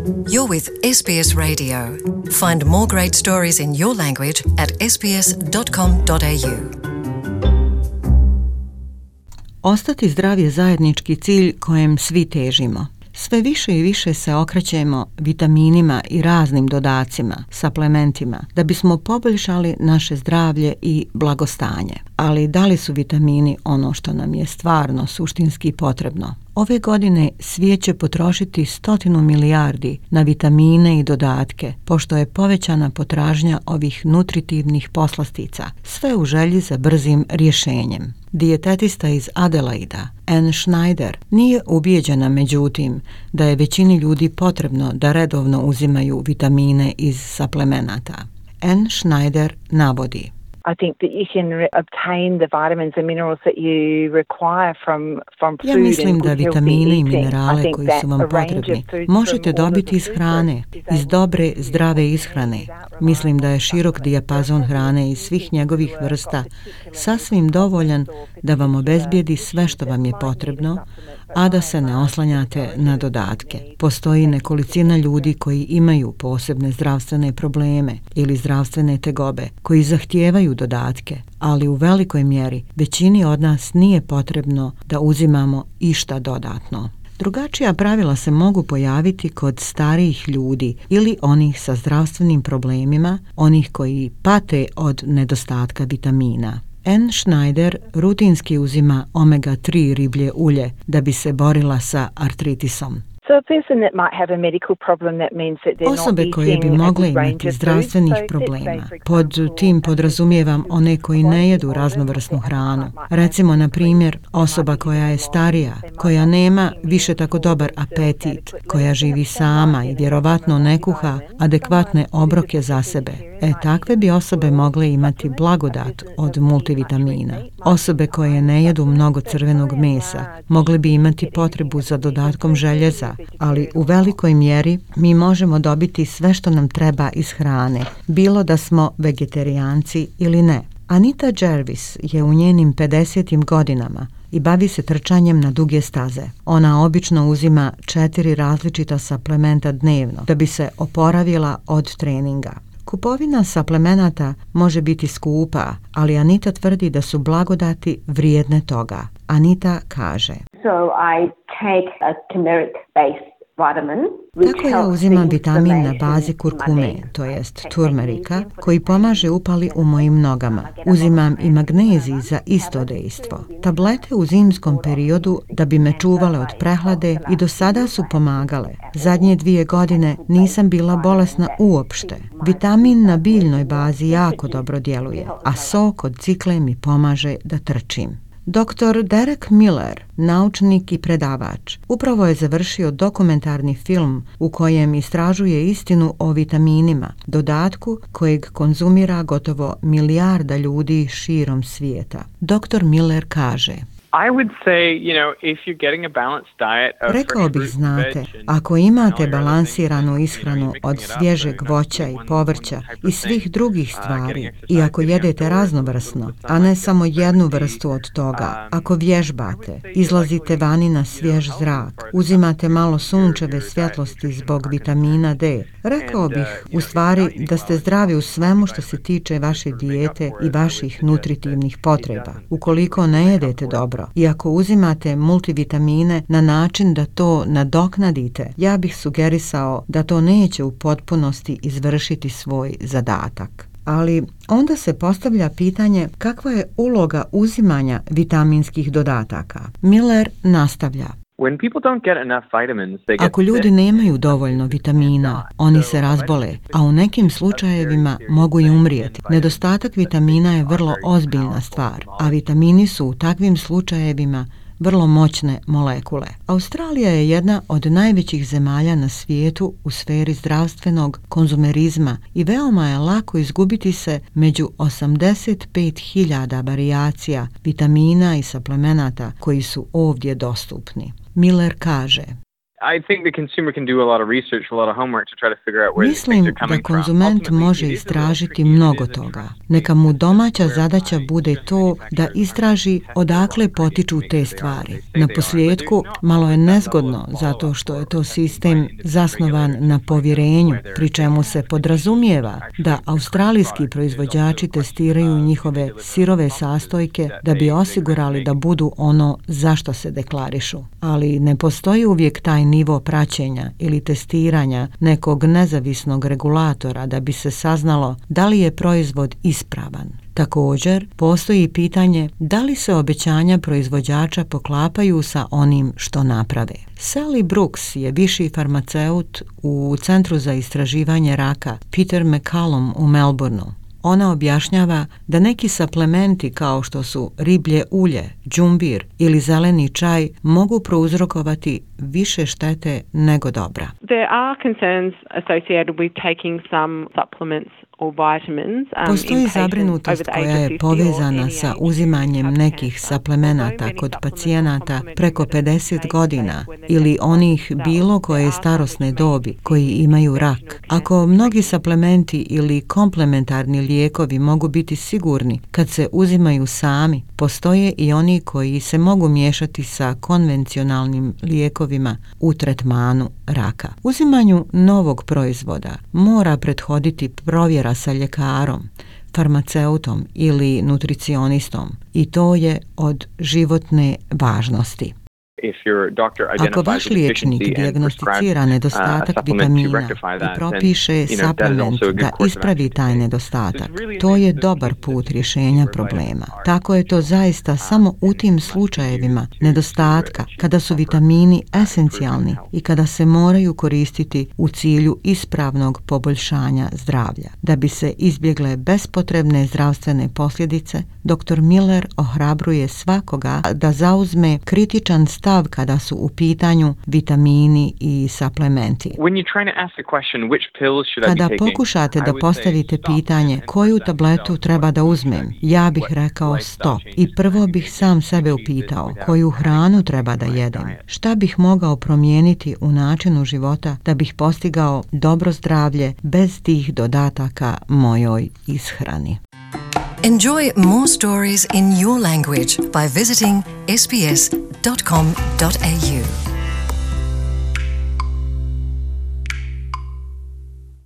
You're with SBS Radio. Find more great stories in your language at sbs.com.au. Ostati zdrav je zajednički cilj kojem svi težimo. Sve više i više se okrećemo vitaminima i raznim dodacima, suplementima, da bismo poboljšali naše zdravlje i blagostanje. Ali da li su vitamini ono što nam je stvarno suštinski potrebno? Ove godine svijet će potrošiti 100 milijardi na vitamine i dodatke, pošto je povećana potražnja ovih nutritivnih poslastica, sve u želji za brzim rješenjem. Dijetetista iz Adelaida, Anne Schneider, nije ubijeđena međutim da je većini ljudi potrebno da redovno uzimaju vitamine iz suplemenata. Anne Schneider navodi: I think that you can obtain the vitamins and minerals that you require from food. Ja mislim da vitamine i minerale koji su vam potrebni možete dobiti iz hrane, iz dobre, zdrave ishrane. Mislim da je širok dijapazon hrane iz svih njegovih vrsta sasvim dovoljan da vam obezbijedi sve što vam je potrebno, a da se ne oslanjate na dodatke. Postoji nekolicina ljudi koji imaju posebne zdravstvene probleme ili zdravstvene tegobe, koji zahtijevaju dodatke, ali u velikoj mjeri većini od nas nije potrebno da uzimamo išta dodatno. Drugačija pravila se mogu pojaviti kod starijih ljudi ili onih sa zdravstvenim problemima, onih koji pate od nedostatka vitamina. Anne Schneider rutinski uzima omega-3 riblje ulje da bi se borila sa artritisom. Osobe koje bi mogle imati zdravstvenih problema, pod tim podrazumijevam one koji ne jedu raznovrsnu hranu. Recimo, na primjer, osoba koja je starija, koja nema više tako dobar apetit, koja živi sama i vjerovatno ne kuha adekvatne obroke za sebe. Takve bi osobe mogle imati blagodat od multivitamina. Osobe koje ne jedu mnogo crvenog mesa mogle bi imati potrebu za dodatkom željeza, ali u velikoj mjeri mi možemo dobiti sve što nam treba iz hrane, bilo da smo vegetarijanci ili ne. Anita Jervis je u njenim 50. godinama i bavi se trčanjem na duge staze. Ona obično uzima 4 različita suplementa dnevno da bi se oporavila od treninga. Kupovina suplemenata može biti skupa, ali Anita tvrdi da su blagodati vrijedne toga. Anita kaže: So I take a turmeric-based vitamin. Tako ja uzimam vitamin na bazi kurkume, to jest turmerika, koji pomaže upali u mojim nogama. Uzimam i magnezij za isto dejstvo. Tablete u zimskom periodu da bi me čuvale od prehlade i do sada su pomagale. Zadnje 2 godine nisam bila bolesna uopšte. Vitamin na biljnoj bazi jako dobro djeluje, a sok od cikle mi pomaže da trčim. Dr. Derek Miller, naučnik i predavač, upravo je završio dokumentarni film u kojem istražuje istinu o vitaminima, dodatku kojeg konzumira gotovo 1 milijarda ljudi širom svijeta. Dr. Miller kaže: Rekao bih, znate, ako imate balansiranu ishranu od svježeg voća i povrća i svih drugih stvari, i ako jedete raznovrsno, a ne samo jednu vrstu od toga, ako vježbate, izlazite vani na svjež zrak, uzimate malo sunčeve svjetlosti zbog vitamina D, rekao bih u stvari da ste zdravi u svemu što se tiče vaše dijete i vaših nutritivnih potreba. Ukoliko ne jedete dobro i ako uzimate multivitamine na način da to nadoknadite, ja bih sugerisao da to neće u potpunosti izvršiti svoj zadatak. Ali onda se postavlja pitanje kakva je uloga uzimanja vitaminskih dodataka. Miller nastavlja: Ako ljudi nemaju dovoljno vitamina, oni se razbole, a u nekim slučajevima mogu i umrijeti. Nedostatak vitamina je vrlo ozbiljna stvar, a vitamini su u takvim slučajevima vrlo moćne molekule. Australija je jedna od najvećih zemalja na svijetu u sferi zdravstvenog konzumerizma i veoma je lako izgubiti se među 85.000 varijacija vitamina i suplemenata koji su ovdje dostupni. Miller kaže: Mislim da konzument može istražiti mnogo toga. Neka mu domaća zadaća bude to da istraži odakle potiču te stvari. Na posljedku, malo je nezgodno zato što je to sistem zasnovan na povjerenju, pri čemu se podrazumijeva da australijski proizvođači testiraju njihove sirove sastojke da bi osigurali da budu ono zašto se deklarišu. Ali ne postoji uvijek taj nivo praćenja ili testiranja nekog nezavisnog regulatora da bi se saznalo da li je proizvod ispravan. Također, postoji pitanje da li se obećanja proizvođača poklapaju sa onim što naprave. Sally Brooks je viši farmaceut u Centru za istraživanje raka Peter MacCallum u Melbourneu. Ona objašnjava da neki suplementi kao što su riblje ulje, džumbir ili zeleni čaj mogu prouzrokovati više štete nego dobra. There are concerns associated with taking some supplements or vitamins. Postoji zabrinutost koja je povezana sa uzimanjem nekih suplemenata kod pacijenata preko 50 godina ili onih bilo koje starosne dobi koji imaju rak. Ako mnogi suplementi ili komplementarni lijekovi mogu biti sigurni kad se uzimaju sami, postoje i oni koji se mogu miješati sa konvencionalnim lijekovima u tretmanu raka. Uzimanju novog proizvoda mora prethoditi provjera sa ljekarom, farmaceutom ili nutricionistom i to je od životne važnosti. Ako vaš liječnik dijagnosticira nedostatak vitamina i propiše suplement da ispravi taj nedostatak, to je dobar put rješenja problema. Tako je to zaista samo u tim slučajevima nedostatka kada su vitamini esencijalni i kada se moraju koristiti u cilju ispravnog poboljšanja zdravlja. Da bi se izbjegle bespotrebne zdravstvene posljedice, dr. Miller ohrabruje svakoga da zauzme kritičan stav kada su u pitanju vitamini i suplementi. Kada pokušate da postavite pitanje koju tabletu treba da uzmem, ja bih rekao stop i prvo bih sam sebe upitao koju hranu treba da jedem, šta bih mogao promijeniti u načinu života da bih postigao dobro zdravlje bez tih dodataka mojoj ishrani. Enjoy more stories in your language by visiting sbs.com.au.